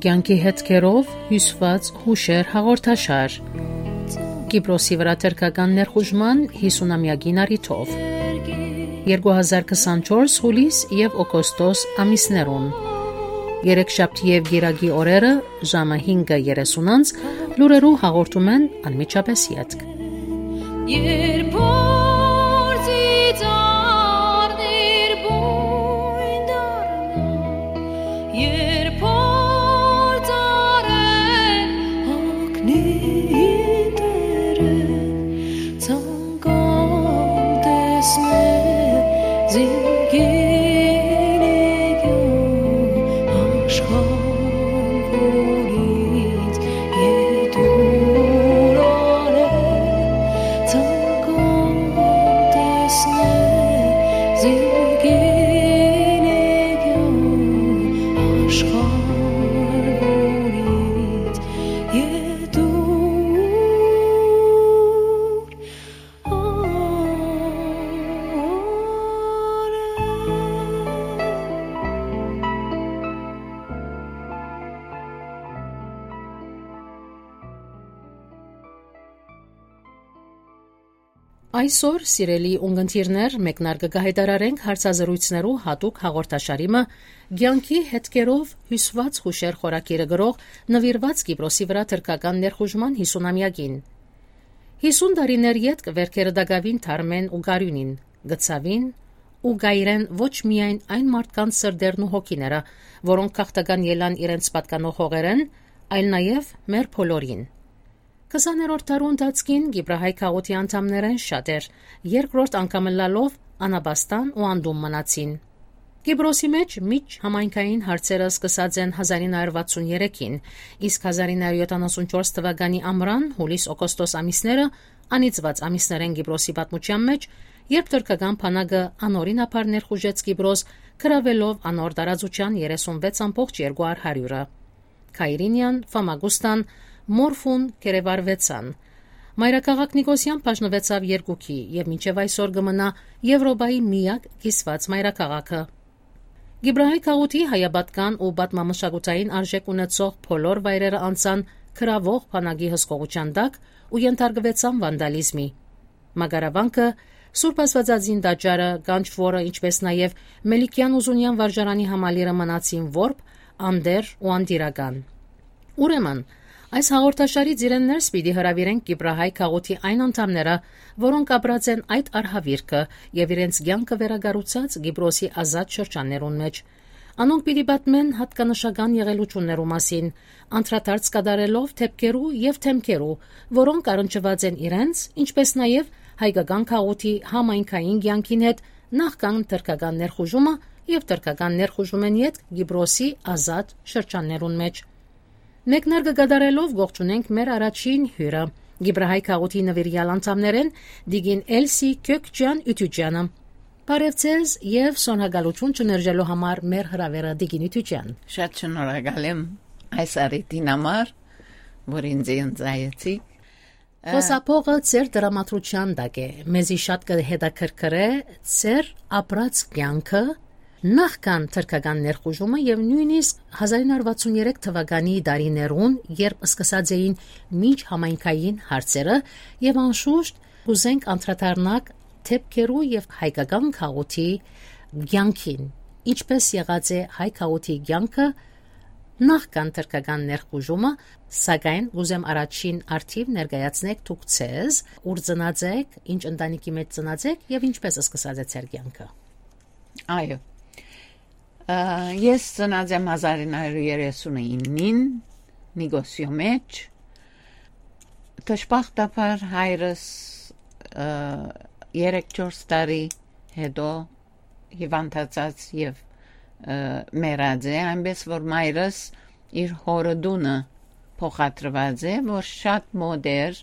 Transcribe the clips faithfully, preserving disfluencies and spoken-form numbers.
Կեանքի հետքերով հիւսուած յուշեր հաղորդաշար։ Կիպրոսի վրայ թրքական ներխուժման յիսունամեակին առիթով։ Երկու հազար քսանչորս հուլիս եւ օգոստոս ամիսներուն։ Երեքշաբթի եւ գիրագի օրերը ժամը հինգը երեսուն անց լուրերու հաղորդում են անմիջապէս ետք։ Երբ փորձի ծառներ բուն դառնան, երբ փորձ արեն հոգնի դերը, ցանկամ տեսնել զինքին իգիան աշխարհ, որ ինձ ետուր արել, ցանկամ տեսնել զինքին իգիան աշխարհ, որ ինձ ետուր Այսօր, սիրելի ունգընտիրներ, մեկնարկը կը հայտարարենք հարցազրոյցներու յատուկ հաղորդաշարի մը, կեանքի հետքերով հիւսուած յուշեր խորագիրը գրող, նուիրուած Կիպրոսի վրայ թրքական ներխուժման յիսունամեակին։ Յիսուն տարիներ ետք, վերքերը տակաւին թարմեն ու գարիւնին, գցաւին ու գայրեն ոչ միայն այն մարդկանց սրտերն ու հոգիները, որոնք գաղթական ելան իրենց պատկանող հողերէն, այլ նաեւ մեր բոլորին։ Քսաներորդ դարու ընթացքին Կիպրահայ գաղութի անդամներէն շատեր, երկրորդ անգամ ըլլալով, անապաստան ու անդում մնացին։ Կիպրոսի մէջ միջ համայնքային հարցերը սկսած են հազար ինը հարյուր վաթսուն երեքին, իսկ հազար ինը հարյուր յոթանասուն չորս թվականի ամռան, հուլիս, օգոստոս ամիսները անիծուած ամիսներ են Կիպրոսի պատմութեան մէջ, երբ թրքական բանակը անօրինաբար ներխուժեց Կիպրոս, գրաւելով անոր տարածութեան երեսուն վեց ամբողջ երկու հարիւրը։ Քայրինիան, Ֆամագուստան, Մորֆուն կերեվարուեցան։ Մայրաքաղաք Նիկոսիան բաժնուեցաւ երկուքի եւ մինչեւ այսօր կը մնայ Եւրոպայի միակ կիսուած մայրաքաղաքը։ Կիպրահայ գաղութի հայապատկան ու պատմամշակութային արժէք ունեցող բոլոր վայրերը անցան գրաւող բանակի հսկողութեան տակ ու ենթարկուեցան վանդալիզմի։ Մակարավանքը, Սուրբ Աստուածածին տաճարը, Գանչ Որը, ինչպէս նաեւ Մելիքեան ու Զունեան վարժարանի համալիրը մնացին որբ, անտեր ու անտիրական։ Ուրեմն, այս հաղորդաշարի ծիրէն ներս պիտի հրաւիրենք Կիպրահայ գաղութի այն անդամները, որոնք ապրած են այդ արհավիրքը եւ իրենց կեանքը վերակառուցած Կիպրոսի ազատ շրջաններուն մէջ։ Անոնք պիտի պատմեն յատկանշական եղելութիւններու մասին, անդրադարձ կատարելով դէպքերու եւ դէմքերու, որոնք առնչուած են իրենց, ինչպէս նաեւ հայկական գաղութի համայնքային կեանքին հետ նախքան թրքական ներխուժումը եւ թրքական ներխուժումէն ետք Կիպրոսի ազատ շրջաններուն մէջ։ Մեկնարկը կատարելով կողջունենք մեր առաջին հիւրը, Կիպրահայ գաղութի նուիրեալ անդամներէն տիկին Էլսի Քյոքճեան Իւթիճեանը։ Բարեւ ձեզ եւ շնորհակալութիւն չմերժելու համար մեր հրաւերը, տիկին Իւթիճեան։ Շատ շնորհակալ եմ այս առիթին համար, որ ինձ ընծայեցիք։ Ա- Խօսափողը ձեր դրամատրութեան տակ է, մեզի շատ կը հետաքրքրէ ձեր ապրած կեանքը նախքան թրքական ներխուժումը եւ նոյնիսկ հազար ինը հարյուր վաթսուն երեք թվականի տարիներուն, երբ սկսած էին մինջ համայնքային հարցերը, եւ անշուշտ կուզենք անդրադառնանք դէպքերու եւ հայկական գաղութի կեանքին, ինչպէս եղած է հայ գաղութի կեանքը նախքան թրքական ներխուժումը, սակայն կուզեմ առաջին առթիւ ներկայացնեք դուք ձեզ, ուր ծնած եք, ինչ ընտանիքի մէջ ծնած եք եւ ինչպէս սկսած է ձեր կեանքը։ Այո։ Ա, ես ծնած եմ հազար ինը հարյուր երեսուն իննին Նիկոսիո մէջ։ Դժբախտաբար հայրս, ա, երեք-չորս տարի հետո հիվանդացած եւ, ը, մեռած է, այնպես որ մայրս իր հօրը տունը փոխադրված է, որ շատ մոտ էր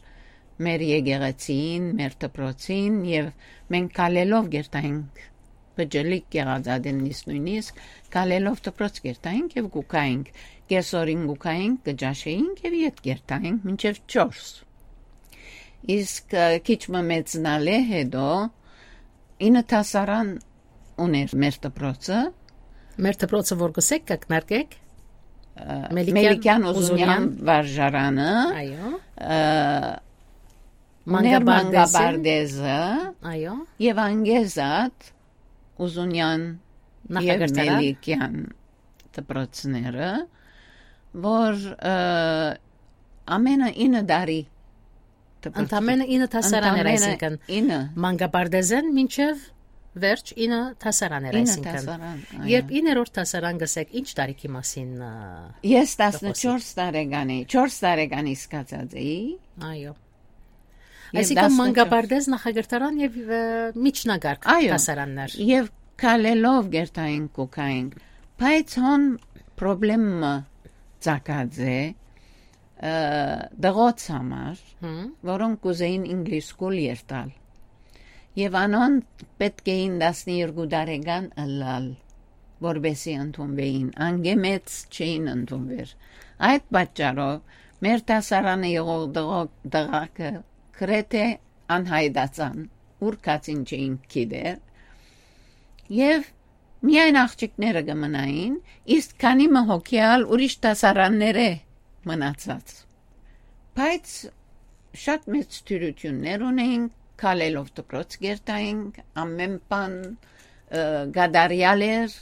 մեր եկեղեցին, մեր դպրոցին, եւ մենք քալելով կերտայինք, բջլիկ եղած ատեննից նոյնիսկ, քալելով դպրոց կերտայինք եւ կուքայինք, կեսօրին կուքայինք, կճաշեինք եւ ետ կերտայինք մինչեւ չորս։ Իսկ, ը, քիչ մը մեծնալէ հետո, Ինը դասարան ուներ մեր դպրոցը։ Մեր դպրոցը որ գսեք կակնարկեք։ Մելիքյան Մելիքյան Ուզունյան Ուզունյան վարժարանը։ Այո։ Ը, ուներ Մանկաբարձ Մանկաբարձ։ Այո։ Եվ անգեզատ Ուզունյան և Նախակրթարան։ Մելիքյան դպրոցները, որ, ը, ամենը ինը տարի դպրոց-, Ընդամենը ինը դասարաններ, ընդամենը այսինքն ինը։ Մանկաբարձէն մինչև վերջ ինը դասարաններ, Ինը այսինքն։ Դասարան, այո։ Երբ իներորդ դասարան գսեք, ինչ տարիքի մասին, ը, Ես կխոսի։ Տասնչորս տարեկանի, չորս տարեկանի սկացած էի։ Այո։ Եւ Այսինքն տասնչորս մանկաբարձ, նախակրթարան եւ, ը, միջնակարգ Այո, դասարաններ։ Եւ քալելով գերտայինք ու քայինք, բայց հոն պրոբլեմ մը ծագած է, ը, դղոց համար, Հմ։ որոնք կուզեին English school երթալ։ Եվ անոնք պէտք էին տասներկու տարեկան ըլլալ, որպեսզի ընդունուէին, անգեմեծ չէին ընդունուեր։ Այդ պատճառով մեր դասարանը եղող դղո-, դղակը գրեթե անհայտացան, ուր գացին չէինք գիտեր, եւ միայն աղջիկները կը մնային, իսկ քանի մը հոգի ալ ուրիշ դասարաններէ մնացած։ Բայց շատ մեծ դյուրութիւններ ունեինք, քալելով դպրոց կերտայինք, ամեն բան, ը, կատարեալ էր,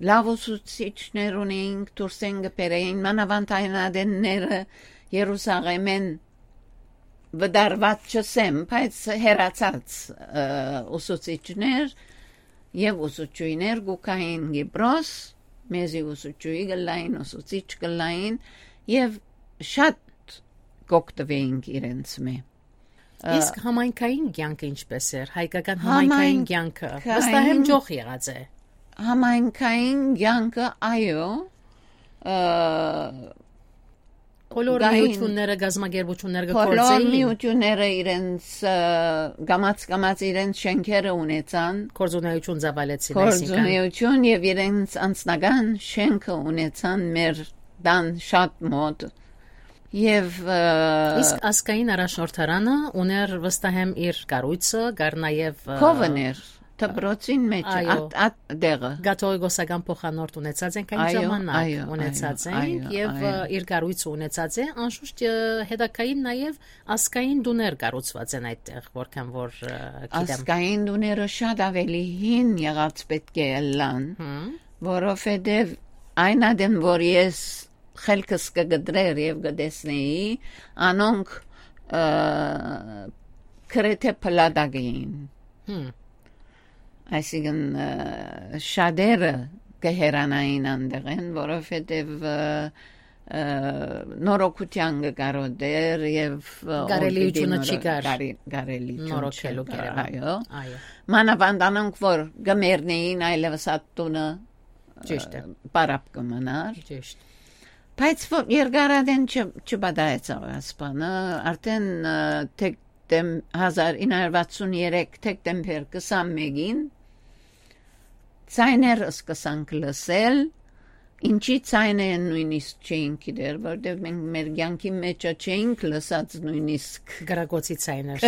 լաւ ուսուցիչներ ունեինք, դուրսէն կը բերեին, մանաւանդ այն ադենները Երուսաղէմէն վտարուած չըսեմ, բայց հեռացած, ը, ուսուցիչներ եւ ուսուցչուհիներ կու գային Կիպրոս, մեզի ուսուցչուհի կ'ըլլային, ուսուցիչ կ'ըլլային եւ շատ կ'օգտուէինք իրենց մէ։ Ը, Իսկ համայնքային կեանքը ինչպէս էր, հայկական համայնքային համայնքային կեանքը վստահ եմ ճոխ եղած է։ Համայնքային կեանքը, այո, ը, Բոլոր գային միությունները, գազམ་ագերբութիւնները կը Բոլոր գործեին։ Միությունները իրենց, ը, կամաց-կամաց իրենց շենքերը ունեցան, Գործունեություն ծավալեցին, այսինքն։ Գործունեություն եւ իրենց անձնական շենքը ունեցան մեր տան շատ մոտ։ Եվ, ը, Իսկ ազգային առաջնորդարանը ուներ վստահ եմ իր կառույցը, կար նաև, ը, Քովն էր, դպրոցին մեջ, Այո։ Ատ, ատ դեղը։ Կաթողիկոսական փոխանորդ ունեցած ենք այն Այո, ժամանակ, այո, ունեցած այո, ենք այո, եւ, ը, այո։ Իր կառույցը ունեցած է, անշուշտ, ը, հետագային նաև ազգային տուներ կառուցված են այդտեղ, որքան որ, ը, գիտեմ։ Ազգային տուները շատ ավելի հին եղած պէտք է ըլլան, Հմ։ որովհետեւ այն ադեն, որ ես խելքս կը կտրեր եւ կը տեսնեի, անոնք, ը, գրեթե փլատակ էին։ Հմ։ Այսինքն, ը, շատերը կը հեռանային անդեղեն, որովհետեւ, ը, ը, նորոգութեան կը կարոտեր եւ, ը, Կարելիությունը օր պիտի չի նորո-, կար կարի-, կարելիություն նորոգելու չկար, գերեվա։ Այո։ Այո։ Մանավանդ անոնք, որ կը մեռնեին այլեւս ատտունը, Ճիշտ է։ Ը, պարապ կը մնար։ Ճիշտ։ Բայց ո-, երկարատեն չ-, չպատահեցաւ այս բանը, արդեն, ը, դեկտեմ-, հազար ինը հարյուր վաթսուն երեք դեկտեմբեր քսանմէկին ձայներ սկսանք լսել, ինչի ձայնը են նույնիսկ չէինք գիտեր, որտեղ մենք մեր կյանքի մեջ չէինք լսած նույնիսկ Գրագոցի ձայներ։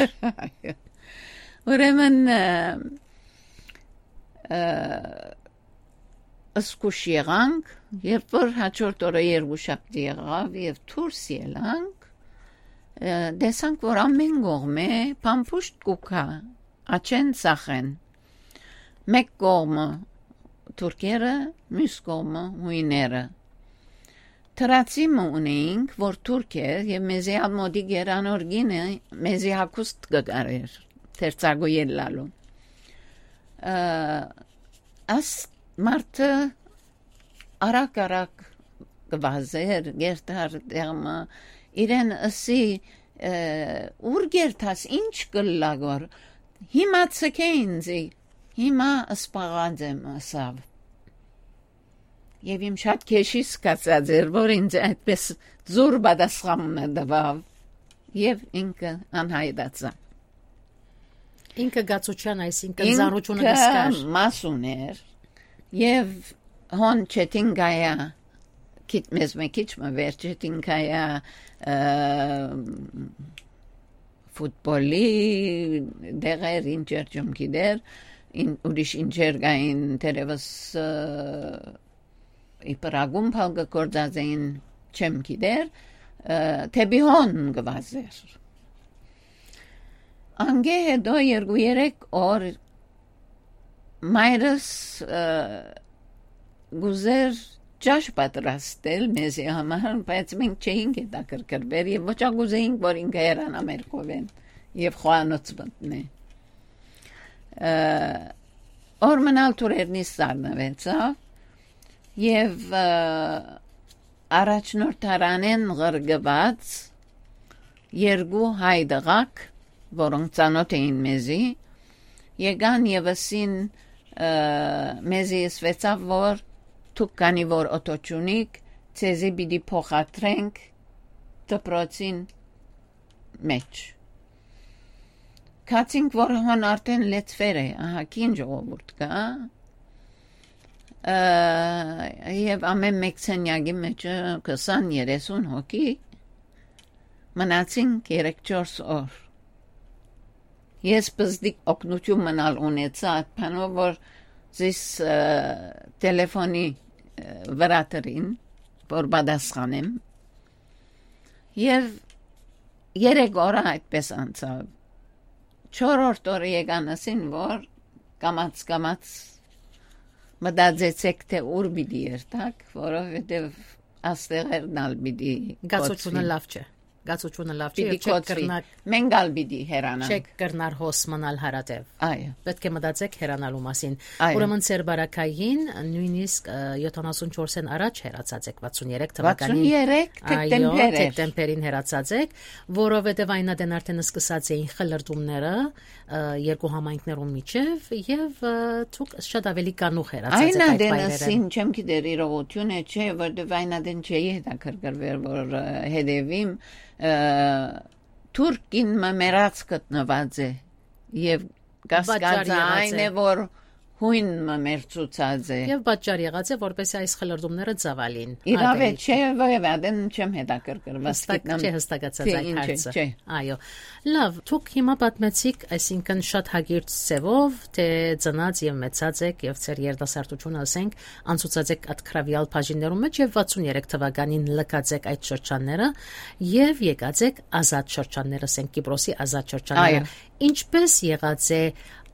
Ուրեմն, ը, ը, զգուշ եղանք, երբ որ հաջորդ օրը երկուշաբթի եղաւ եւ դուրս ելանք, ը, տեսանք, որ ամեն կողմէ փամփուշտ կու գայ, աջեն ծախեն։ Մեկ կողմը թուրքերը, մյուս կողմը հույները։ Թրացի մը ունեինք, որ թուրք էր եւ մեզի ալ մոտիկ էր, անոր գինը մեզի հագուստ կը կարեր, թերցակու ելլալու։ Ը, աս մարդը արագ-արագ կը վազեր, գերտար դեղմը, իրեն ըսի, ը, «Ո՞ւր գերտաս, ի՞նչ կ'ըլլայ գոր, հիմա ցկէ ինձի, հիմա սպաղած եմ», ըսաւ։ Եւ իմ շատ քեշի սկացած էր, որ ինձ այդպես զուր պատասխան մը տուաւ, եւ ինքը անհայտացա։ Ինքը գացության, այսինքն Ինքը ծանրությունը կսկար։ Մաս ուներ, եւ հոն Չեթին Գայա, քիչ, մեզ մը քիչ մը վեր Չեթին Գայա, ը, ֆուտբոլի դեղեր, ինչեր չեմ գիտեր, ին, ուրիշ ինչեր կային, թերևս, ը, իբր ակումբ ալ կը գործածէին, չեմ գիտեր, ը, դէպի հոն կը վազէր։ Անկէ հետո երկու երեք օր մայրս, ը, կ'ուզէր ճաշ պատրաստել մեզի համար, բայց մենք չէինք հետաքրքրուեր եւ ոչ ալ կ'ուզէինք, որ ինքը հեռանայ մեր քովէն եւ խոհանոց մտնէ։ Ը, օր մնալ թուրերնիս սառնուեցաւ եւ, ը, առաջնորդարանէն ղրկուած երկու հայ տղաք, որոնք ծանօթ էին մեզի, եկան եւ ըսին, ը, մեզի ըսուեցաւ, որ դուք քանի որ օթոյ չունիք, ձեզի պիտի փոխադրենք դպրոցին մէջ։ Գացինք, որ հոն արդէն լեցուեր է, ահագին ժողովուրդ կայ, ը, եւ ամէն մէկ սենեակի մէջ քսան երեսուն հոգի, մնացինք երեք չորս օր։ Ես պզտիկ օգնութիւն մնալ ունեցայ այդ բանով, որ զիս, ը, տելեֆոնի, ը, վրայ դրին, որ պատասխանեմ։ Եւ երեք օրը այդպես անցաւ։ Չորրորդ օրը եկան ըսին, որ կամաց-կամաց մտածեցէք, թէ ուր պիտի երթաք, որովհետեւ աստեղերն ալ պիտի Գացությունը կոչուին։ Լաւ չէ։ Գացությունը լաւ չէ, Պիտի եւ չեք կոչուի։ կրնակ, Մենք ալ պիտի հեռանանք։ չեք կրնար հոս մնալ հարատեւ։ Այո։ Պետք է մտածեք հեռանալու մասին։ Այո։ Ուրեմն ձեր բարակային նույնիսկ, ը, յոթանասուն չորսէն առաջ հեռացած եք, վաթսուն երեք թվականին։ Վաթսուն երեք Այո, դեկտեմբեր էր։ դեկտեմբերին հեռացած եք, որովհետեւ այն ատեն արդեն սկսած էին խլրտումները, ը, երկու համայնքներուն միջեւ եւ, ը, դուք շատ ավելի կանուխ հեռացած Այն եք այդ ատեն վայրերէն։ Ասին, չեմ գիտեր իրողութիւնը չէ, որովհետեւ այն ատեն չէի հետաքրքրուեր, որ, ը, հետեւիմ, ը, թուրքին մը մեռած գտնուած է եւ Պատճառ կասկածը եղած այն է, է։ որ հույն մը մեռցուցած է։ Եւ պատճառ եղած է, որպեսզի այս խլրտումները ծավալին։ Իրաւ է, Ատենի չէ, որեւէ ատեն չեմ հետաքրքրված, Հստակ գիտնամ, չէ հստակացած թե այդ ինչ է, հարցը։ չէ։ Այո։ Լավ, դուք հիմա պատմեցիք, այսինքն շատ հագիր ձևով, թե ծնած եւ մեծած եք եւ ձեր երիտասարդությունը, ասենք, անցուցած եք այդ քրավիալ բաժիններուն մեջ եւ վաթսուն երեք թվականին լքած եք այդ շրջանները եւ եկած եք ազատ շրջանները, ասենք, Կիպրոսի ազատ շրջանները։ Այո։ Ինչպե՞ս եղած է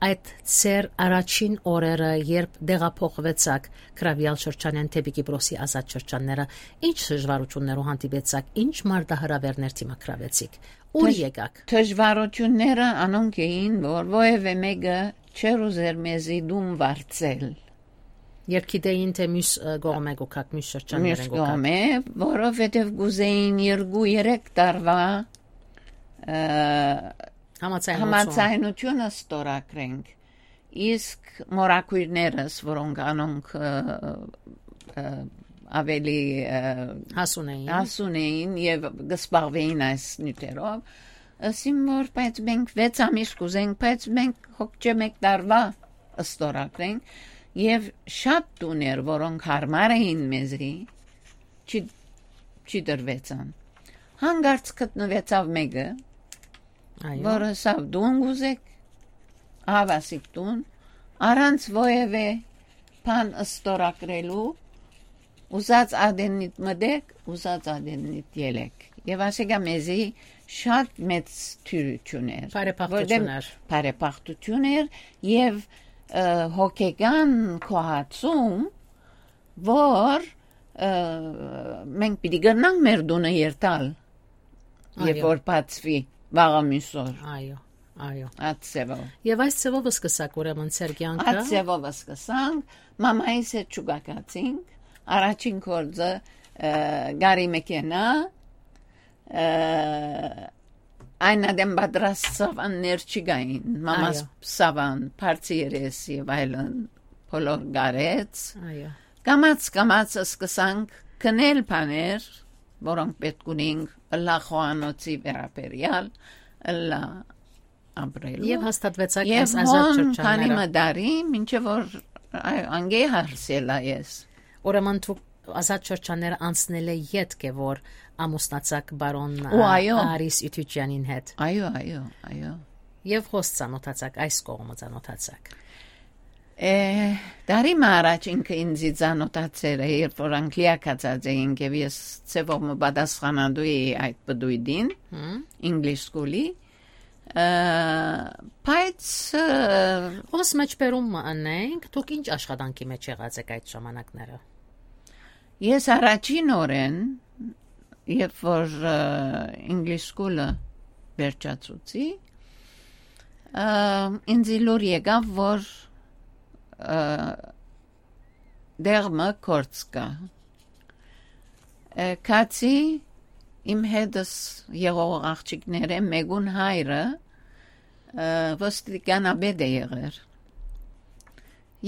այդ ձեր առաջին օրերը, երբ տեղափոխուեցաք քրավիալ շրջանէն դէպի Կիպրոսի ազատ շրջանները, ինչ դժվարութիւններու հանդիպեցաք, ինչ մարտահրաւերներ դիմագրաւեցիք, ուր Դժ-, եկաք։ դժվարութիւնները անոնք էին, որ որեւէ մէկը չէր ուզեր մեզի դուն վարձել։ Երբ գիտեին, թե մյուս, ը, կողմէ կուքաք, մյուս շրջաններէն Մյուս կուքաք։ կողմէ, որովհետեւ կուզեին երկու երեք տարվա, ը, Համաձայնություն։ համաձայնությունը ստորագրենք, իսկ մորակույրներս, որոնք անոնք, ը, ը, ավելի, ը, Հասուն էին։ հասուն էին եւ կսպաղվեին այս նյութերով, ասին, որ բայց մենք վեց ամիս կուզենք, բայց մենք հոգ չէ մեկ տարվա ստորագրենք, եւ շատ տուներ, որոնք հարմար էին մեզի, չի, չի դրվեցան։ Հանկարծ գտնուեցաւ մէկը, Այո։ որ ըսաւ, «Դուն կուզեք, ահա սիք դուն», առանց որևէ բան ստորագրելու, ուզած ադեննիդ մտեք, ուզած ադեննիդ ելեք։ Եւ ասիկա մեզի շատ մեծ թիւրություն էր, Բարեբախտություն որտեղ էր։ բարեբախտություն էր եւ, ը, հոգեկան գոհացում, որ, ը, մենք պիտի կրնանք մեր տունը երթալ, երբ Այո։ որ բացվի վաղը մյուս օր։ Այո, այո։ Այդ ձևով։ Եվ այս ձևով սկսակ ուրեմն ձեր կյանքը։ Այդ ձևով սկսանք, մամայիս հետ չուկակացինք, առաջին գործը, ը, գարի մեքենա, ը, այն ադեմ պատրաստ սավաններ չկային, մամաս Այո։ սավան, բարձի երես եւ այլն, բոլոր գարեց։ Այո։ Կամաց, կամաց սկսանք գնել բաներ, որոնք պետք ունենք, ըլլա խոհանոցի վերաբերյալ, ըլլա ապրելու։ Եվ հաստատվեցաք Եվ այս ազատ հոն շրջանները։ քանի մը տարի, մինչեւ որ, այ, անգե հարսելա ես։ Ուրեմն դուք, Ազատ շրջանները անցնելէ ետք է, որ ամուսնացաք պարոն, Ու ա, այո։ Արիս Իթուչեանին հետ։ Այո, այո, այո։ Եվ հոս ծանոթացաք, այս կողմը ծանոթացաք։ Է, տարի մը առաջ ինքը ինձի ծանոթացեր է, երբ որ Անգլիա գացած էինք, եւ ես ձևով մը պատասխանատու էի այդ պտույտին, Հմ։ English School-ի, ը, բայց, ը, Հոս մեջբերում մը անենք, դուք ինչ աշխատանքի մեջ եղած եք այդ ժամանակները։ Ես առաջին օրէն, երբ որ, ը, English School-ը վերջացուցի, ը, ինձի լուր եկաւ, որ, ը, տեղ մը գործ կայ։ Ը, քացի իմ հետս եղող աղջիկներէ մէկուն հայրը, ը, ոստիկանապետ է եղեր։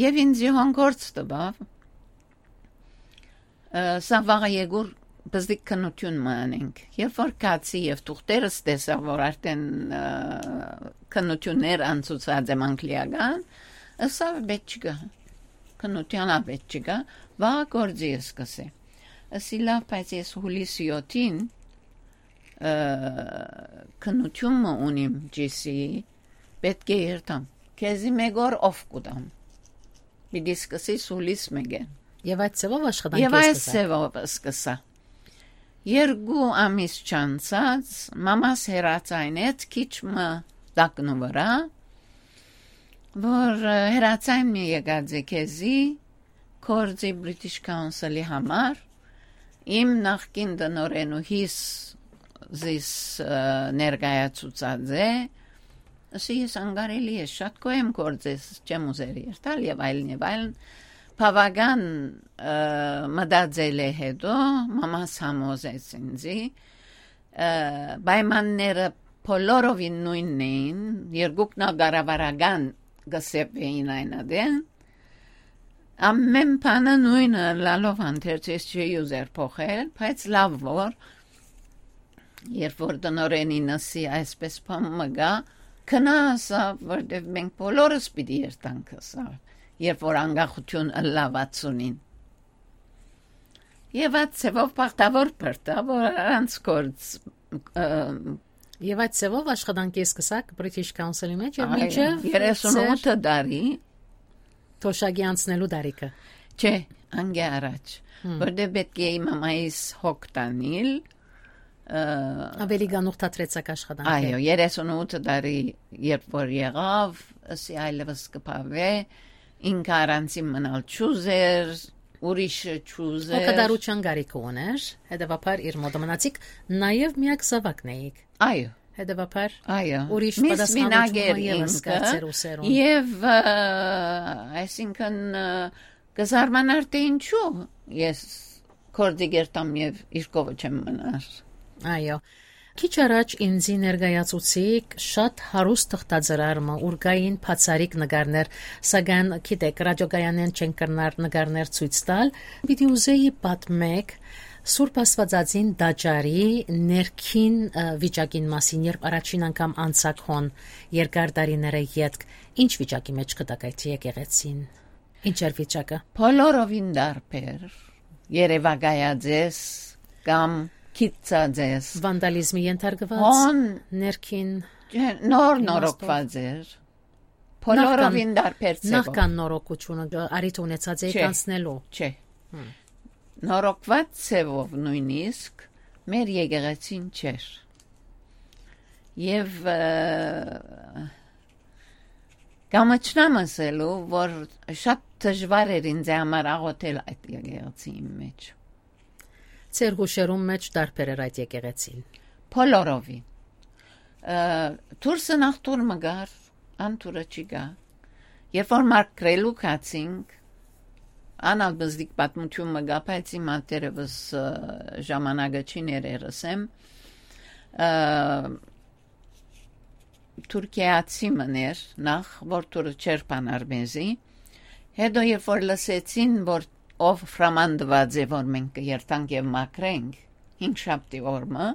Եւ ինձի հոն գործ տուաւ, ը, սա վաղը եկուր պզդիկ քննութիւն մը անենք։ Երբ որ քացի եւ թուղթերս տեսա, որ արդեն, ը, քննութիւններ անցուցած եմ անգլիական, ըսա, «Պէտք չկայ, քննութեան ա պէտք չկայ, վաղը գործի ես կսե»։ Ըսի, «Լաւ, բայց ես հուլիսի յոթին, ը, քննութիւն մը ունիմ G C, պէտք է երթամ, քեզի մէկ օր ով կու տամ, պիտի սկսիս հուլիս մէկէն»։ Եւ այդ ձևով աշխատանքի Եւ այս սկսաք։ ձևով սկսա։ Երկու ամիս չանցած, մամաս հեռացայնեց քիչ մը տակնու վրա, որ, ը, հեռացայն մի եկած է քեզի, գործի British Council-ի համար, իմ նախկին տնօրէնուհիս զիս, ը, ներկայացուցած է, ըսի, ես անկարելի ես, շատ գոհ եմ գործես, չեմ ուզեր երթալ եւ այլն եւ այլն։ Բաւական, ը, մտածելէ հետո մամաս համոզեց ինձի, ը, պայմանները բոլորովին նոյնն էին, երկուքն ալ կառավարական կը սեպ էին այն ատեն։ Ամեն բանը նոյնը լալով հանդերձ ես չի ուզեր փոխել, բայց լաւ որ, երբ որ տնօրէնին ըսի այսպես բան մը գայ, «Գնա», ըսա, «որտեւ մենք բոլորս պիտի երթանք», ըսա, երբ որ անկախութիւն ըլլայ վաթսունին։ Եւ այդ ձևով բախտաւոր բրտա, որ առանց գործ, ը, Եւ այդ ձևով աշխատանքի սկսաք British Council-ի մեջ եւ Այո, մինչեւ երեսուն ութ տարի։ Թոշակի անցնելու տարիքը։ Չէ, անկէ առաջ, Հմ։ որտեղ պէտք է իմ մամայիս հոգ տանիլ, ը, Ավելի գանուխ թատրեցաք աշխատանքը։ Այո, երեսուն ութ տարի երբ որ եղավ, ըսի այլևս կփավէ, ինքը առանցին մնալ չուզեր, ուրիշը չուզեր։ Հոգատարության կարիքը ուներ, հետեւաբար իր մոտը մնացիք, նաեւ միակ զաւակն էիք։ Այո։ Հետեւաբար Այո։ ուրիշ Միս պատասխանատու մինակ էր մը ևս ինքը կայցեր ուսերուն։ Եւ, ը, այսինքն, ը, կզարմանար, թե ինչու ես գործի կերտամ եւ իր կովը չեմ մնար։ Այո։ Քիչ առաջ ինձի ներկայացուցիք շատ հարուստ թղթածրար մը, ուր կային բացառիկ նկարներ, սակայն գիտեք, ռադիոկայանեն չեն կրնար նկարներ ցույց տալ։ Պիտի ուզեի պատմեք Սուրբ Աստվածածին տաճարի ներքին, ը, վիճակին մասին, երբ առաջին անգամ անցաք հոն երկար տարիները ետք, ինչ վիճակի մեջ կտակ այդ եկեղեցին։ Ինչ էր վիճակը։ Բոլորովին տարբեր, երևակայած ես կամ գիտցած ես։ Վանդալիզմի ենթարկված, Հոն ներքին չէ, նոր իմաստով։ նորոգված էր։ Բոլորովին Նախքան, տարբեր ձևով։ նախքան նորոգությունը, ը, առիթ ունեցած էիք Չէ, անցնելու։ Չէ։ Հմ։ Նորոգված ձևով նույնիսկ մեր եկեղեցին չէր։ Եվ, ը, կամչնամ ասելու, որ շատ դժվար էր ինձ համար աղոթել այդ եկեղեցիին մեջ։ Ձեր հուշերուն մեջ տարբեր էր այդ եկեղեցին։ Բոլորովին։ Ը, դուրսը նախ դուր մը գար, անդուրը չի գա։ Երբ որ մաքրելու գացինք, անալ բզդիկ պատմություն մը գա, բայց հիմա դեռևս, ը, ժամանակը չի ներերս եմ։ Ը, Թուրքիացի մներ նախ, որ դուրը չեր բանար մեզի։ Հետո երբ որ լսեցին, որ ով հրաման տված է, որ մենք կերթանք եւ մաքրենք, հինգշաբթի օրը,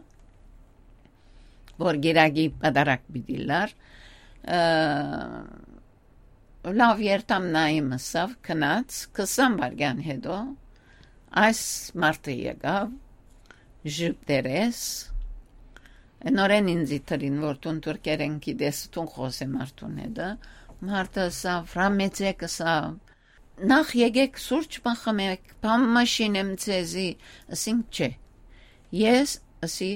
որ գիրագի պատարակ պիտի լար, ը, լավ երթամ նայեմ ըսավ, գնաց, քսան վայրկյան հետո Այս մարդը եկաւ, ժպտերես, նորեն ինձի դրին, որ դուն թուրքերեն գիտես, դուն խօսե մարդուն հետը։ Մարդը ըսաւ, «Ռամեծեկ», ըսաւ, «նախ եկեք սուրճ մը խմեք, բան մը շինեմ ձեզի», ըսինք, «Չէ, ես», ըսի,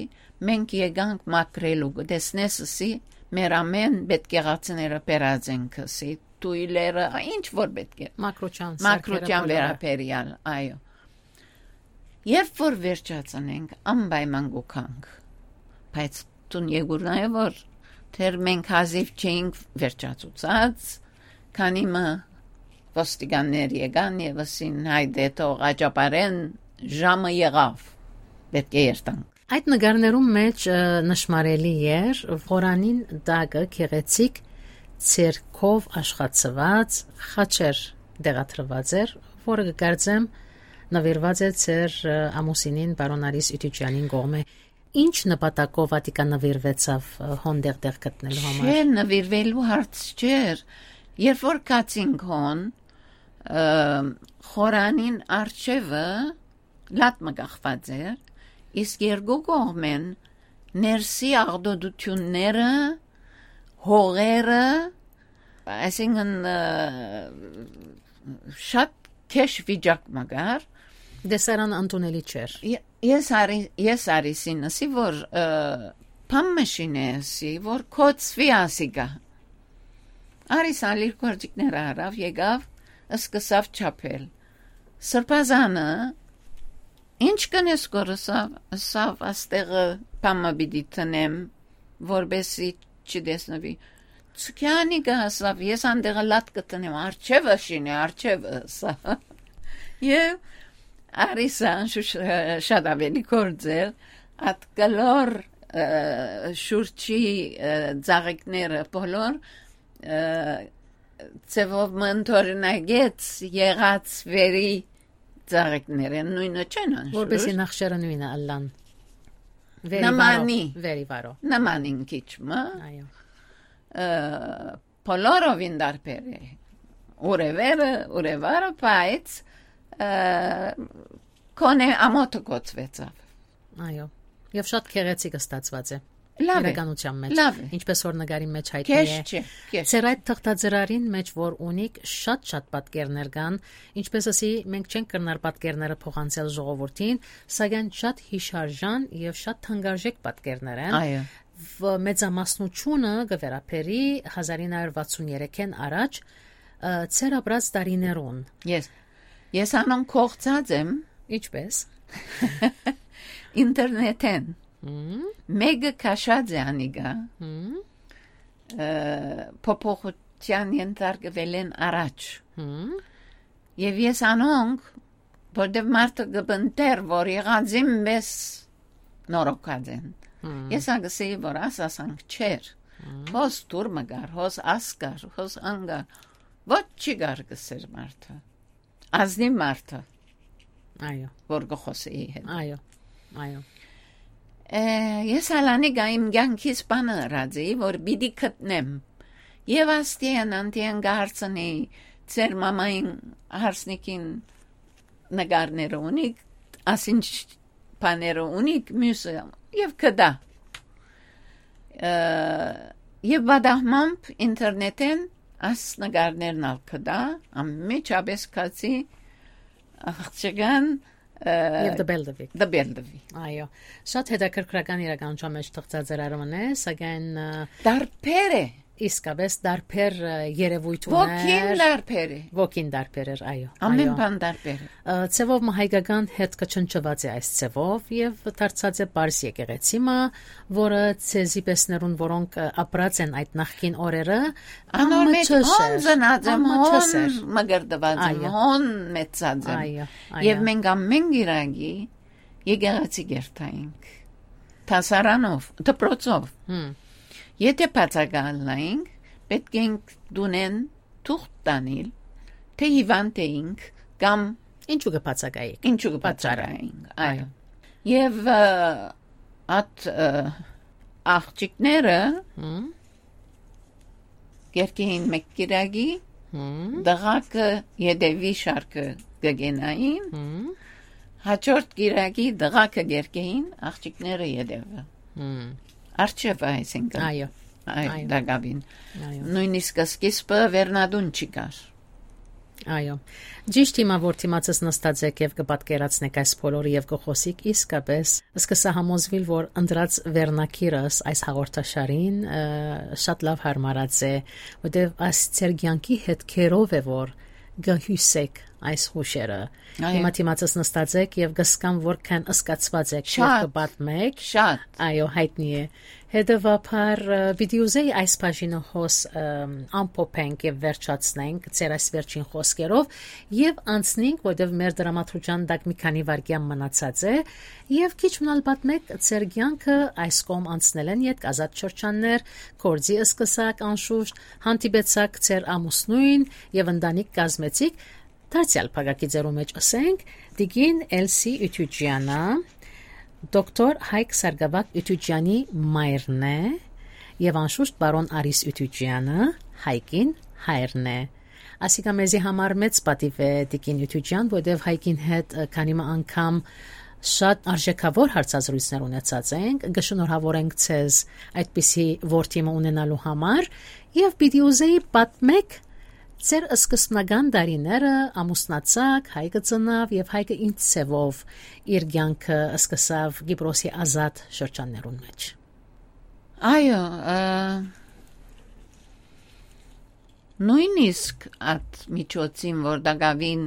«մենք եկանք մաքրելու, կը տեսնես», ըսի, «մեր ամէն պէտք եղածները բերած ենք», ըսի, «թոյլերը, ինչ որ պէտք է»։ Մաքրութեան, մաքրութեան սարքերը, բոլորը։ Վերաբերեալ, այո։ Երբ որ վերջացնենք, անպայման կու գանք։ Բայց դուն եկուր նայ, որ դեռ մենք հազիվ չէինք վերջացուցած, քանի մը ոստիկաններ եկան եւ ըսին, «Հայդե, թող աճապարեն, ժամը եղաւ, պէտք է երթանք»։ Այդ նկարներուն մէջ, ը, նշմարելի էր, Ղորանին տակը գեղեցիկ ձեռքով աշխատցուած խաչեր տեղադրուած էր, որը կը կարծեմ նուիրուած է ձեր, ը, ամուսինին, պարոն Արիս Իւտիճեանին կողմէ։ Ինչ նպատակով ատիկա նուիրուեցաւ, ը, հոն տեղտեղ գտնելու համար։ Չէ, նուիրուելու հարց չէր։ Երբ որ գացինք հոն, ը, խորանին առջեւը լատ մը կախված էր, իսկ երկու կողմէն ներսի աղտոտութիւնները, հողերը, այսինքն, ը, շատ քեշ վիճակ մը կար։ Տեսարանը ընդունելի չէր։ Ե-, ես արի-, ես Արիսին ըսի, որ, ը, բան մը շինե ըսի, որ կոծուի ասիկա։ Արիս ալ իր գործիքները առաւ, եկաւ, սկսաւ չափել։ Սրբազանը, «Ինչ կ'ընես», կոր ըսաւ, ըսաւ, «Աստեղը բան մը պիտի տնեմ, որպեսզի չտեսնուի»։ Ցուքեանի կը ըսաւ, «Ես անդեղը լատ կը տնեմ, արջևը շինի, արջևը», ըսաւ։ Եւ Արիսը անշուշտ շատ ավելի գործ էր, ատ կլոր, ը, շուրջի, ը, ծաղիկները բոլոր, ը, ձևով մը ընդօրինակեց եղած վերի ծաղիկներէն, նոյնը չեն անշուշտ։ Որպեսզի նախշերը նոյնը ըլլան։ Վերի վարո, նմանի։ Վերի վարո։ Նմանին քիչ մը։ Այո։ Ը, բոլորովին տարբեր է։ Ուրևերը, ուրևարը, բայց, ը, քոնե ամոթը կոծուեցաւ։ Այո։ Եւ շատ գեղեցիկ ստացուած է։ Լավ է, իրականության մեջ, լավ է, ինչպես որ նկարի մեջ հայտնի է։ Քեշ չէ, քեշ։ Ձեր այդ թղթածրարին մեջ, որ ունիք, շատ-շատ պատկերներ կան, ինչպես ասի, մենք չենք կրնար պատկերները փոխանցել ժողովրդին, սակայն շատ յիշարժան եւ շատ թանկարժեք պատկերներ են։ Այո։ Վ-, մեծամասնությունը կը վերաբերի հազար ինը հարյուր վաթսուն երեքէն առաջ, ը, ձեր ապրած տարիներուն։ Ես, ես անոնք կողցած եմ։ Ինչպես։ Ինտերնետէն։ Հմ։ Մէկը քաշած է անիկա, հմ, ը, փոփոխութեան ենթարկուելէն առաջ։ Հմ։ Եւ ես անոնք, որտեւ մարդը կը պնդէր, որ եղածին պէս նորոգած են։ Հմ։ Ես ա կսեի, որ աս ասանք չէր։ Հմ։ Հոս դուր մը կար, հոս աս կար, հոս ան կար։ Ոչ չի կար, կսեր մարդը։ Ազնիվ մարդը, այո, որ կը խոսէի հետ։ Այո, այո։ Ը, ես ալ անիկա իմ կյանքիս բանը ըրած էի, որ պիտի գտնեմ։ Եւ աստիեն, անտիեն կը հարցնի, «Ձեր մամային հարսնիքին նկարները ունիք, ասինչ բաները ունիք», միւսը, եւ կտայ։ Ը, եւ պատահմամբ ինտերնետէն այս նկարներն ալ կտայ, անմիջապէս գացի աղջկան, ը, եւ դպել տուի։ Դպել տուի։ Այո, շատ հետաքրքրական իրականության մեջ թղթածրարում է, սակայն, ը, տարբեր է։ Իսկապես տարբեր, ը, երևույթ ուներ։ Ոգին տարբեր է։ Ոգին տարբեր էր, այո, ամեն, այո, բան տարբեր է։ Ը, ձևով մը հայկական հետքը չնչված է այս ձևով եւ դարձած է պարզ եկեղեցի մը, որը ձեզի պեսներուն, որոնք, ը, ապրած են այդ նախկին օրերը, անոր մեջ անմիջս հոն էր, ծնած եմ, անմիջս հոն էր, մկրտված եմ, այո, հոն մեծած եմ։ Այո, այո։ Եւ մենք ամեն գիրագի եկեղեցի կերթայինք, դասարանով, դպրոցով։ Հմ։ Եթե բացակայ ըլլայինք, պէտք էինք տունէն թուղթ տանիլ, թէ հիվանդ էինք կամ ինչու կը բացակայիք։ Ինչու կը պատճառը, բացակայինք, այո։ Այո։ Եւ, ը, ատ, ը, աղջիկները, հմ, կերկեին մէկ կիրակի, հմ, դղակը յետեւի շարքը կը գնային, հմ, Հաջորդ կիրակի տղաքը կերկեին, աղջիկները ետևը։ Հմ։ Արջևը, այսինքն։ Այո։ Այ, Այո։ Տակավին։ Այո։ Նույնիսկ սկիզբը վերնատուն չի կար։ Այո։ Ճիշտ հիմա, որ դիմացս նստած եք եւ կը պատկերացնեք այս բոլորը եւ կը խոսիք, իսկապես սկսա համոզվել, որ ընտրած վերնագիրս այս հաղորդաշարին, ը, շատ լավ հարմարած է, որտեւ այս ձեր կյանքի հետքերով է, որ կը հյուսեք այս հուշերը։ Այո։ Հիմա դիմացս նստած եք եւ կսկամ, որքան սկացված եք եւ Շատ, կը պատմեք։ շատ։ Այո, հայտնի է։ Հետեւաբար, ը, պիտի ուզեի այս բաժինը հոս, ըմ, ամփոփենք եւ վերջացնենք ձեր այս վերջին խոսքերով եւ անցնենք, որտեւ մեր դրամատրության տակ մի քանի վայրկյան մնացած է, եւ քիչ մնալ պատմեք ձեր կյանքը այս կողմ անցնելէն ետք, ազատ շրջաններ, գործի սկսակ անշուշտ, հանդիպեցաք ձեր ամուսնոյն եւ ընտանիք կազմեցիք, դարձեալ փակագիծերու մէջ ըսենք, տիկին Էլսի Ութուջյանը, դոկտոր Հայկ Սարգսակ Ութուջյանի մայրն է, եւ անշուշտ պարոն Արիս Ութուջյանը Հայկին հայրն է։ Ասիկա մեզի համար մեծ պատիւ է, տիկին Ութուջյան, որտեւ Հայկին հետ, ը, քանի մը անգամ շատ արժեքաւոր հարցազրույցներ ունեցած ենք, կը շնորհավորենք ձեզ այդպիսի որդի մը ունենալու համար, եւ պիտի ուզեի պատմեք ձեր սկզբնական տարիները, ամուսնացաք, Հայկը ծնաւ եւ Հայկը ինչ ձեւով իր կյանքը սկսաւ Կիպրոսի ազատ շրջաններուն մէջ։ Այո, ը, նույնիսկ այդ միջոցին, որ տակավին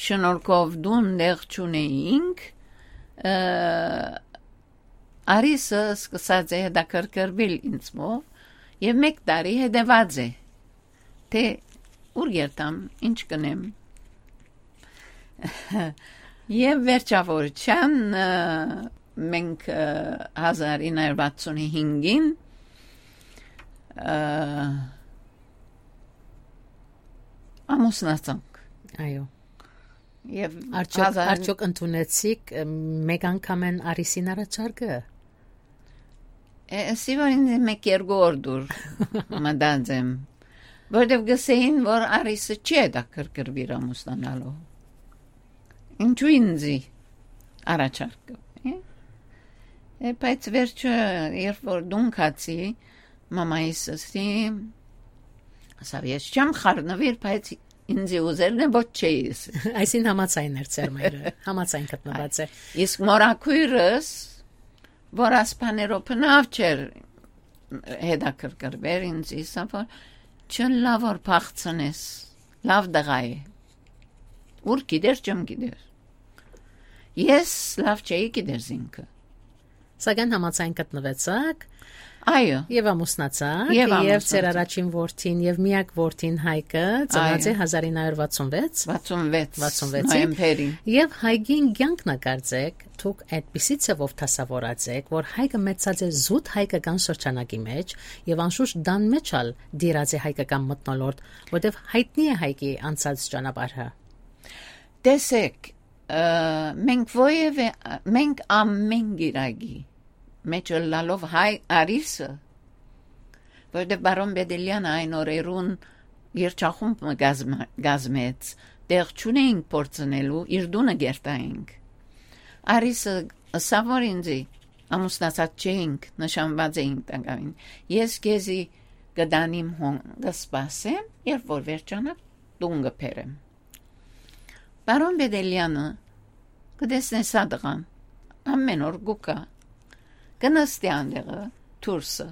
շնորհքով տուն տեղ չունեինք, ը, Արիսը սկսած է հետաքրքրվել ինձմով եւ մեկ տարի հետեւած է, թե ուր երթամ, ինչ կնեմ։ Եւ վերջավորության, ը, մենք, ը, հազար ինը հարյուր վաթսուն հինգին, ը, ամուսնացանք։ Այո։ Եւ Արդյոք, հազար արդյոք ընդունեցիք, ը, մեկ անգամէն Արիսին առաջարկը։ Է, էսի որ ինձ մեկ երկու օր դուր մտած եմ, որտեւ գսեին, որ Արիսը չի հետաքրքրվիր ամուսնանալով։ Ինչու ինձի առաջարկը, է? Է, բայց վերջը, երբ որ դուն գացի, մամայիս ըսի, ասաւ, «Ես չեմ խառնվիր, բայց ինձի ուզելն է, ոչ չէի ըսի»։ Այսին համաձայն էր ձեր մայրը, համաձայն գտնուած է։ Իսկ մորաքոյրս, որ ասպաներով բնավ չէր հետաքրքրվեր ինձ, իսա որ չըլլայ որ փախցնես, լավ տղայ է։ Ուր գիտեր, չեմ գիտեր։ Ես լավ չէի գիտեր ինքը։ Սակայն համաձայն գտնուեցաք Այո։ Եւ ամուսնացաք, Եւ եւ ամուսնացանք։ Ձեր առաջին որդին եւ միակ որդին Հայկը ծնած է Այո։ հազար ինը հարյուր վաթսուն վեց։ Վաթսուն վեց Վաթսուն վեցին։ Նոյեմբերին։ Եւ Հայկին կյանքն ա կարծեք, դուք այդպիսի ձևով դասավորած եք, որ Հայկը մեծած է զուտ հայկական շրջանակի մեջ, եւ անշուշտ տան մեջ ալ դիրած է հայկական մթնոլորտ, որտեւ հայտնի է Հայկի անցած ճանապարհը։ Տեսեք, ը, մենք ովևէ, մենք ամեն գիրագի մեջ ըլլալով հայ Արիսը, որտեղ բարոն Բեդելյանը այն օրերուն երջախումբ մը կազմա-, կազմեց, տեղ չունեինք փորձնելու, իր տունը կերտայինք։ Արիսը ըսաւ, որ ինձի ամուսնացած չէինք, նշանված էինք տակավին։ «Ես քեզի կդանիմ հոն, կսպասեմ, երբ որ վերջանա, տուն կբերեմ»։ Պարոն Բեդելյանը, կտեսնես ա տղան, ամեն օր կուկա, կնստի անտեղը, դուրսը։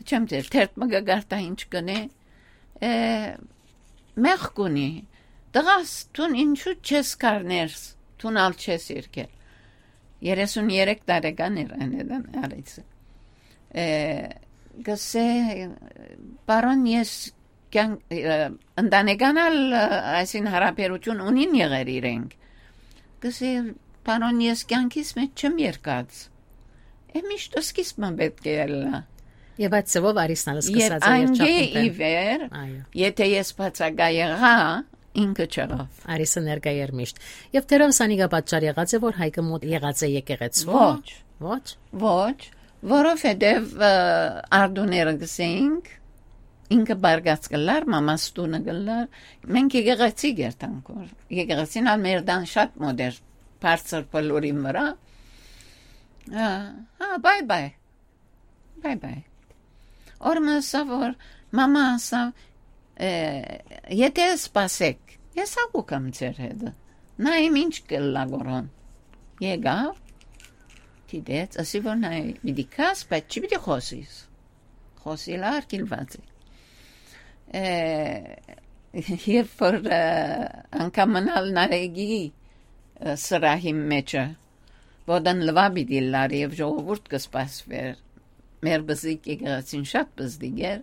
Չեմ ձեր, թերթ մը կգարտա ինչ կնե, է, մեղք ունի, տղաս, դուն ինչու չես կար ներս, դուն ալ չես երկել։ Երեսուն երեք տարեկան էր այն էդան Արիսը։ Է, գսե, պարոն, ես կյանք, ը, ընտանեկան ալ, ը, այսին հարաբերություն ունին եղեր իրենք։ Գսե, պարոն, ես կյանքիս մեջ չեմ երկած։ Է, միշտ սկիզբը պետք է ելնա։ Եվ այդ ձևով Արիսն ալ Եվ սկսած է անգե երջախումբը։ Ի վեր, Այո։ եթե ես բացակա եղա, ինքը չեղավ։ Արիսը ներկա էր միշտ։ Եվ դեռ սանիգա պատճառ եղած է, որ Հայկը մոտ եղած է եկեղեցու։ Ոչ։ Ոչ։ Ոչ, որովհետև, ը, արդուները գսեինք, ինքը բարգած կ'ըլլար, մամաս տունը կ'ըլլար, մենք եկեղեցի կ'երթանք որ։ Եկեղեցին ալ մեր տան շատ մօտ էր, բարձր բլուրին վրա։ Հա, հա, bye bye, bye bye։ Օր մը ըսաւ որ, մամա ըսաւ, «Է, եթե սպասեք, ես հակու կամ ձեր հետը։ Նայեմ ինչ կ'ըլլայ գորոն»։ Եկաւ, դիտեց, ըսի որ նայ, պիտի քաս, բայց չի պիտի խոսիս։ Խոսիլ արկիլված է։ Է, երբ որ, ը, անգամ մնալ Նարեգի, ը, սրահի մեջը, ոտն լվա պիտի լար եւ ժողովուրդ կը սպասվեր, մեր բզիկ եկեղեցին շատ բզիկ էր,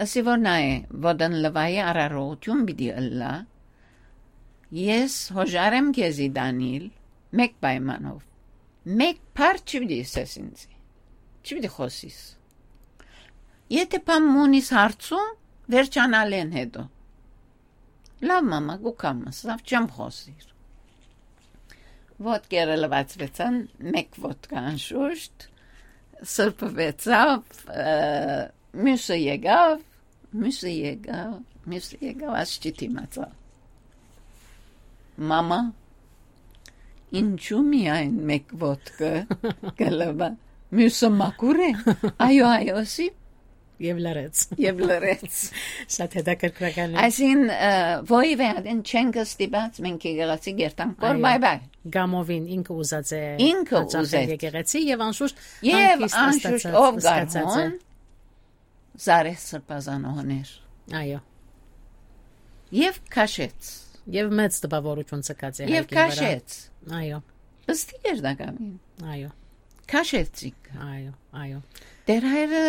ըսի որ նայ, ոտն լվայի արարողություն պիտի ըլլայ, ես հոժար եմ քեզի տանիլ, մէկ պայմանով, մէկ բառ չի պիտի ըսես ինձի, չի պիտի խոսիս։ Եթե բան մունիս հարցում, վերջանալեն հետո։ Լավ, մամա, կու կամ ըսաւ, չեմ խոսիր։ Ոտքերը լվացուեցան, մէկ ոտքը անշուշտ, սրբուեցաւ, ը, մյուսը եկաւ, մյուսը եկաւ, մյուսը եկաւ, աս չդիմացաւ։ Մամա, ինչու՞ միայն մէկ ոտքը կը լվայ, մյուսը մաքուր է։ Այո, այո, ըսի։ Եւ լռեց։ Եւ լռեց։ Շատ հետաքրքրական է։ Այսինքն, ը, որեւէ ատեն չենք ստիպած, մենք եկեղեցի կ'երթանք, որ այո, bye bye։ Գամովին ինքը ուզած է Ինքը հաճախել ուզեց։ Եկեղեցի եւ անշուշտ Եւ հանգիստ անշուշտ ըստացած, ով գար զգացած է։ Հոն, Զարեհ Սրբազանոհն էր։ Այո։ Եւ քաշեց։ Եւ մեծ տպաւորություն ցկած է Եւ հայկին վրա։ Քաշեց։ Այո։ Պստիկ էր տակամին։ Այո։ Քաշեցինք։ Այո, այո։ Դեր հայրը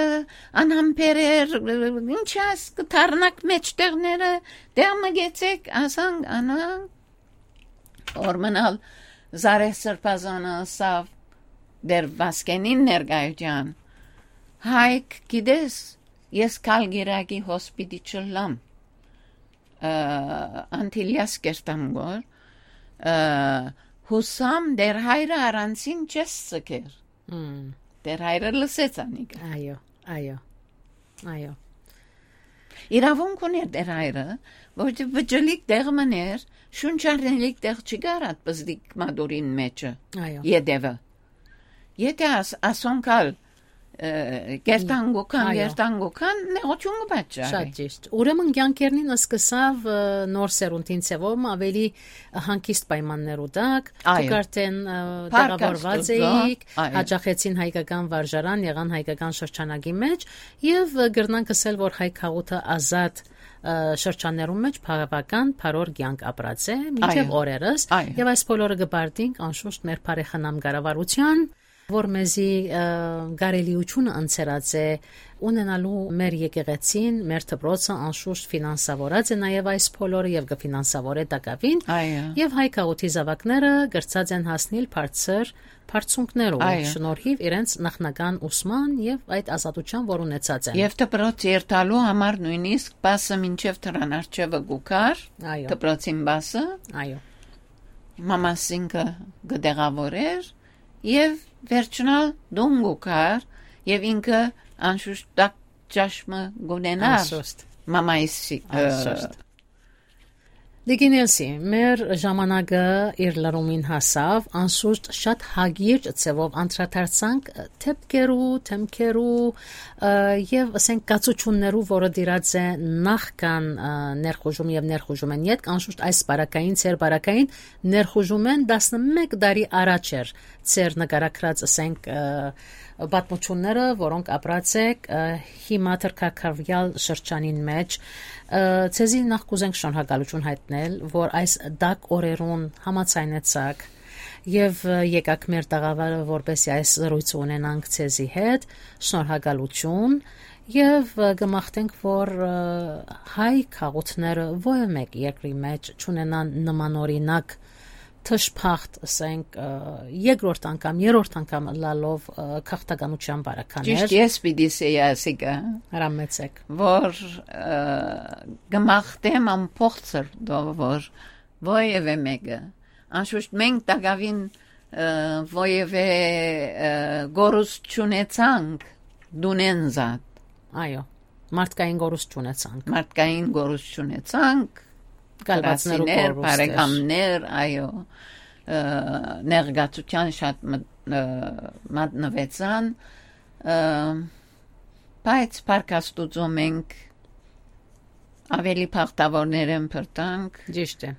անհամբեր էր, ինչ աս կը դառնաք մեջտեղները, դե մը գեցեք, ասանք, անանք, օրմնալ Զարեհ Սրբազանը ըսավ դեր Վասկենին ներկայության, Հայկ, գիտես, ես Կալգիրակի հոսպիտի չլլամ, ը, Անտիլիաս կերտամ գոր, ը, հուսամ դեր հայրը առանցին չես ցկեր։ Մմ։ Դեր հայրը լսեց անիկա։ Այո, այո, այո։ Իրավունք ուներ դեր հայրը, որ վճլիկ տեղ մներ, շունչ առնելիք տեղ չի կարած պզդիկ մատուրին մեջը, Այո։ Ետևը։ Եթե աս-, ասոնք ալ, ը, կերտան գոքան, Այո։ Կերտան գոքան, նեղություն կը պատճառի։ Շատ ճիշտ։ Ուրեմն կյանքերնին սկսավ, ը, նոր սերունդին ձևով, ավելի հանգիստ պայմաններու տակ, Այո։ Դուք արդեն, ը, Փառք տեղավորված Աստուծո, էիք, այո։ Հաճախեցին հայկական վարժարան, եղան հայկական շրջանակի մեջ, եւ, ը, կրնանք ասել, որ հայ քաղուտը ազատ, ը, շրջաններուն մեջ բավական բարոր կյանք ապրած է, մինչեւ Այո։ Օրերս, Այո։ Եւ այս բոլորը կը բարդինք անշուշտ մեր բարեխնամ կառավարության, որ մեզի, ը, կարելիությունը ընձեռած է ունենալու մեր եկեղեցին, մեր դպրոցը անշուշտ ֆինանսավորած է նաեւ այս բոլորը եւ կը ֆինանսավորե տակաւին, Այո։ Եւ հայ քաղուտի զաւակները կրցած են հասնիլ բարձր բարձունքներով, Այո։ Շնորհիվ իրենց նախնական ուսման եւ այդ ազատության, որ ունեցած են։ Եւ դպրոց երթալու համար նույնիսկ պասը մինչեւ դրան արջևը գուքար, Այո։ Դպրոցին պասը, Այո։ Մամասինքը կը տեղավորեր եւ վերջնալ դուն գուքար եւ ինքը անշուշտ տակ ճաշ մը գունենար Անշուշտ։ Մամայիսի, ը, Անշուշտ։ Լիգինելսի, մեր ժամանակը իր լրումին հասավ, անշուշտ շատ հագիր ձևով անդրադարձանք դեպքերու, դեմքերու, ը, եւ, ասենք, կացություններու, որը դիրած է նախքան, ը, ներխուժում եւ ներխուժում են ետք, անշուշտ այս բարակային, ձեր բարակային ներխուժում են տասնմէկ տարի առաջ էր ձեր նկարագրած, ասենք, ը, պատմությունները, որոնք ապրած եք, ը, հիմա թրքակարվյալ շրջանին մեջ, ը, ձեզի նախ կուզենք շնորհակալություն հայտնել, որ այս տաք օրերուն համաձայնեցաք եւ, ը, եկաք մեր տաղավարը, որպեսզի այս զրույցը ունենանք ձեզի հետ։ Շնորհակալություն եւ, ը, կմաղթենք, որ, ը, հայ քաղուտները ովը մէկ երկրի մեջ չունենան նմանօրինակ թշփախտ, ասենք, ը, երկրորդ անգամ, երրորդ անգամ ըլլալով, ը, քաղաքականության բարականեր։ Ճիշտ, ես պիտի սեի ասիկա, Հրամեցեք։ Որ, ը, կմաղթեմ ամբողջ սրտով, որ ովևէ մեկը, անշուշտ մենք տակավին, ը, ովևէ, ը, գորուստ չունեցանք դունեն զատ։ Այո։ մարդկային կորուստ չունեցանք։ Մարդկային կորուստ չունեցանք, կալվածներու կորուստեր, բարեկամներ, այո, ը, ներգացության շատ մտ-, ը, մատնվեցան, ը, բայց փառք Աստուծո մենք ավելի բախտավորներ են բրտանք։ Ճիշտ է։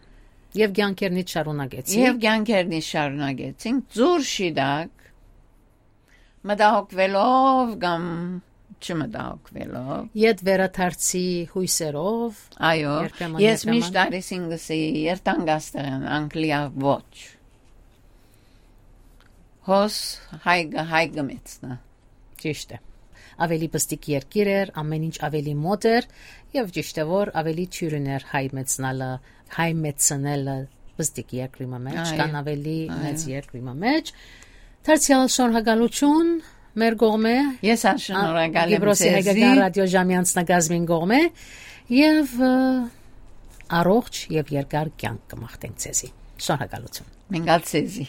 Եւ կյանքերնից շարունակեցինք։ Եւ կյանքերնից շարունակեցինք, ձուր շիտակ, մտահոգվելով կամ չմտահոգվելով։ Ետ վերադարձի հույսերով։ Այո, երբեմն, ես երբեմն միշտ արիսին գսի, երթանք աստեղան, անգլիա ոչ։ Հոս հայ գ-, հայ գմեցնա։ Ճիշտ է։ Ավելի պստիկ երկիր էր, ամեն ինչ ավելի մոտ էր, եւ ճիշտ է, որ ավելի թիւրին էր հայ մեծնալը, հայ մեծնելը պստիկ երկրի մը մեջ, այո, քան ավելի, այո, մեծ երկրի մը մեջ։ Դարձյալ շնորհակալություն մեր կողմէ։ Ես ա շնորհակալ եմ Կիպրոսի ձեզի։ Հայկական ռադիո ժամի անձնակազմին կողմէ, եւ, ը, առողջ եւ երկար կյանք կմաղթենք ձեզի։ Շնորհակալություն։ Մենք ալ ձեզի։